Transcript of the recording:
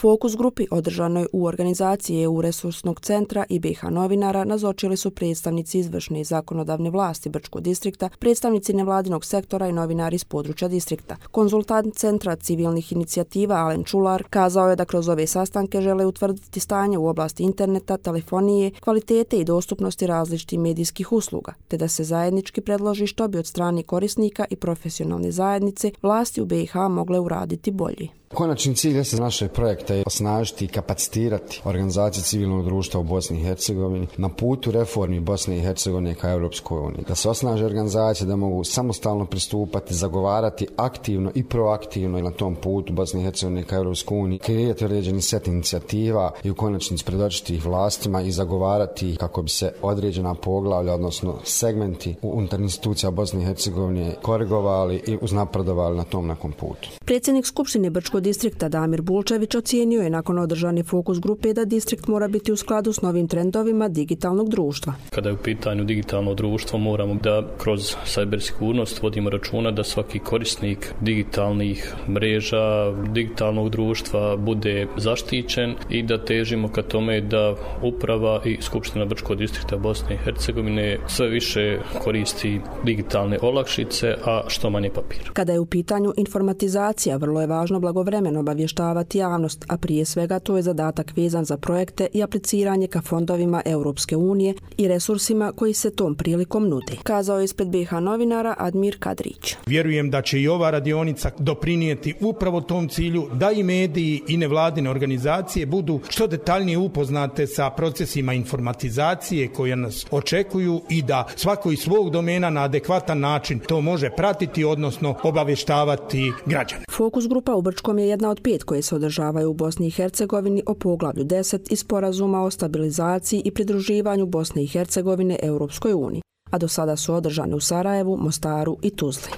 Fokus grupi održanoj u organizaciji EU resursnog centra i BiH novinara nazočili su predstavnici izvršne i zakonodavne vlasti Brčkog distrikta, predstavnici nevladinog sektora i novinari iz područja distrikta. Konzultant Centra civilnih inicijativa Alen Čular kazao je da kroz ove sastanke žele utvrditi stanje u oblasti interneta, telefonije, kvalitete i dostupnosti različitih medijskih usluga, te da se zajednički predloži što bi od strane korisnika i profesionalne zajednice vlasti u BiH mogle uraditi bolje. Konačni cilj je našeg projekta je osnažiti i kapacitirati organizacije civilnog društva u Bosni i Hercegovini na putu reformi Bosne i Hercegovine ka Europskoj uniji. Da se osnaže organizacije da mogu samostalno pristupati, zagovarati aktivno i proaktivno na tom putu Bosne i Hercegovine ka Europskoj uniji, kreirati određeni set inicijativa i u konačnici predočiti ih vlastima i zagovarati kako bi se određena poglavlja, odnosno segmenti unutar institucija Bosne i Hercegovine korigovali i uznapredovali na tom nekom putu. Predsjednik Skupštine Brčkog distrikta Damir Bulčević ocijenio je nakon održane fokus grupe da distrikt mora biti u skladu s novim trendovima digitalnog društva. Kada je u pitanju digitalno društvo, moramo da kroz cybersigurnost vodimo računa da svaki korisnik digitalnih mreža, digitalnog društva bude zaštićen i da težimo ka tome da uprava i Skupština Brčkog distrikta Bosne i Hercegovine sve više koristi digitalne olakšice, a što manje papira. Kada je u pitanju informatizacija, vrlo je važno blagovremeno obavještavati javnost, a prije svega to je zadatak vezan za projekte i apliciranje ka fondovima Europske unije i resursima koji se tom prilikom nude, kazao je ispred BiH novinara Admir Kadrić. Vjerujem da će i ova radionica doprinijeti upravo tom cilju da i mediji i nevladine organizacije budu što detaljnije upoznate sa procesima informatizacije koje nas očekuju i da svako iz svog domena na adekvatan način to može pratiti, odnosno obavještavati građane. Fokus grupa u Brčkom je jedna od 5 koje se održavaju u Bosni i Hercegovini o poglavlju 10 iz sporazuma o stabilizaciji i pridruživanju Bosne i Hercegovine Europskoj uniji, a do sada su održane u Sarajevu, Mostaru i Tuzli.